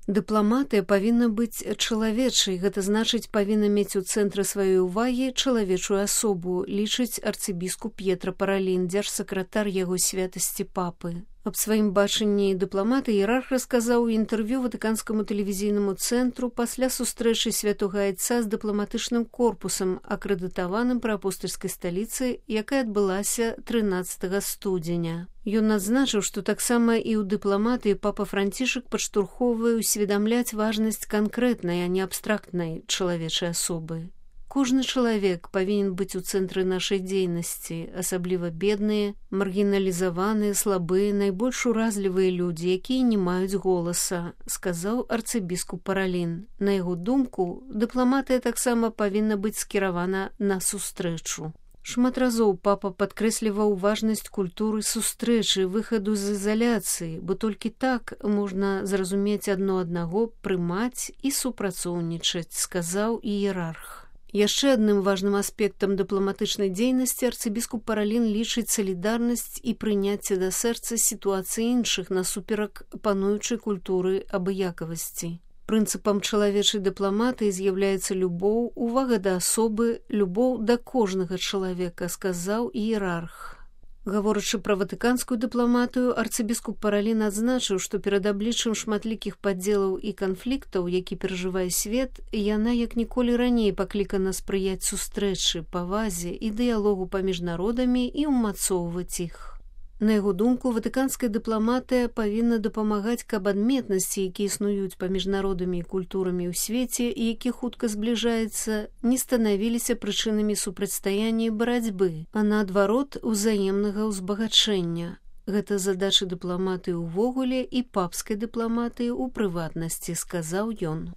Дыпламатыя павінна быць чалавечай, гэта значыць павінна мець у цэнтры сваёй увагі чалавечую асобу, лічыць арцыбіскуп П'етра Паралін, дзяржсакратар яго святасці папы. Аб сваім бачанні дыпламата іерарх расказаў у інтэрв'ю ватыканскаму тэлевізійнаму цэнтру пасля сустрэчы святога айца з дыпламатычным корпусам, акрэдытаваным пры апостальскай сталіцы, якая адбылася 13 студзеня. Ён адзначыў, што таксама і ў дыпламатыі папа Францішак падштурхоўвае усведамляць важнасць канкрэтнай, а не абстрактнай чалавечай асобы. Кожны чалавек павінен быць у цэнтры нашай дзейнасці, асабліва бедныя, маргіналізаваныя, слабыя, найбольш уразлівыя людзі, якія не маюць голаса, сказаў арцыбіскуп Паралін. На яго думку, дыпламатыя таксама павінна быць скіравана на сустрэчу. Шмат разоў папа падкрэсліваў важнасць культуры сустрэчы, выхаду з ізаляцыі, бо толькі так можна зразумець адно аднаго, прымаць і супрацоўнічаць, сказаў іерарх. Яшчэ адным важным аспектам дыпламатычнай дзейнасці арцыбіскуп Паралін лічыць салідарнасць і прыняцце да сэрца сітуацыі іншых насуперак пануючай культуры абыякавасці. Прынцыпам чалавечай дыпламатыі з'яўляецца любоў, увага да асобы, любоў да кожнага чалавека, сказаў іерарх. Гаворачы пра ватыканскую дыпламатыю, арцыбіскуп Паралін адзначыў, што перад абліччам шматлікіх падзелаў і канфліктаў, які перажывае свет, яна як ніколі раней паклікана спрыяць сустрэчы, павазе і дыялогу паміж народамі і ўмацоўваць іх. На яго думку, ватыканская дыпламатыя павінна дапамагаць, каб адметнасці, якія існуюць паміж народамі і культурамі ў свеце і які хутка збліжаецца, не станавіліся прычынамі супрацьстаяння і барацьбы, а наадварот узаемнага ўзбагачэння. Гэта задача дыпламатыі ўвогуле і папскай дыпламатыі ў прыватнасці, сказаў ён.